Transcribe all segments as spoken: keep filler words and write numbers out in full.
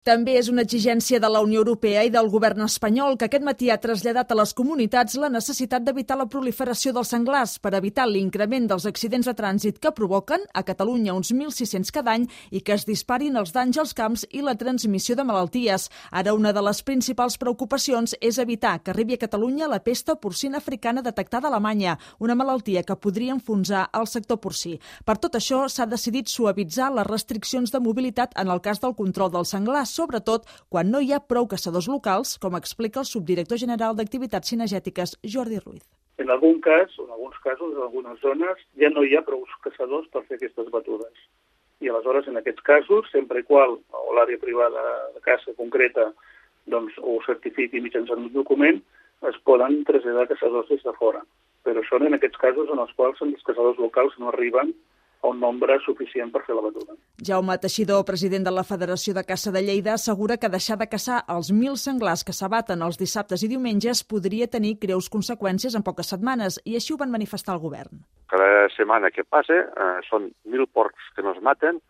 També és una exigència de la Unió Europea i del govern espanyol, que aquest matí ha traslladat a les comunitats la necessitat d'evitar la proliferació dels senglars per evitar l'increment dels accidents de trànsit que provoquen a Catalunya uns mil sis-cents cada any i que es disparin els danys als camps i la transmissió de malalties. Ara, una de les principals preocupacions és evitar que arribi a Catalunya la pesta porcina africana detectada a Alemanya, una malaltia que podria enfonsar el sector porcí. Per tot això, s'ha decidit suavitzar les restriccions de mobilitat en el cas del control dels senglars, sobretot quan no hi ha prou caçadors locals, com explica el subdirector general d'Activitats Cinegètiques, Jordi Ruiz. En algun cas, o en alguns casos, en algunes zones, ja no hi ha prou caçadors per fer aquestes batudes. I aleshores, en aquests casos, sempre i qual o l'àrea privada de caça concreta doncs, ho certifiqui mitjançant un document, es poden traslladar caçadors des de fora. Però són en aquests casos en els quals els caçadors locals no arriben a un nombre suficient per fer la batuda. Jaume Teixidor, president de la Federació de Caça de Lleida, assegura que deixar de caçar els mil senglars que s'abaten els dissabtes i diumenges podria tenir greus conseqüències en poques setmanes, i així ho van manifestar al govern. Cada setmana que passa eh, són mil porcs que no es maten.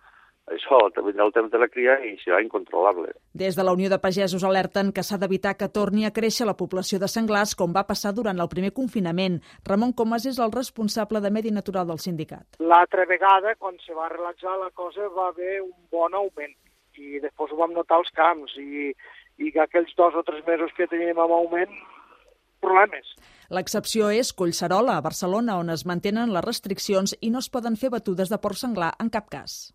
Això vindrà el temps de la cria i serà incontrolable. Des de la Unió de Pagesos alerten que s'ha d'evitar que torni a créixer la població de senglars com va passar durant el primer confinament. Ramon Comas és el responsable de Medi Natural del sindicat. L'altra vegada, quan se va relaxar la cosa, va haver un bon augment i després ho vam notar als camps i, i que aquells dos o tres mesos que teníem amb augment, problemes. L'excepció és Collserola, a Barcelona, on es mantenen les restriccions i no es poden fer batudes de porc senglar en cap cas.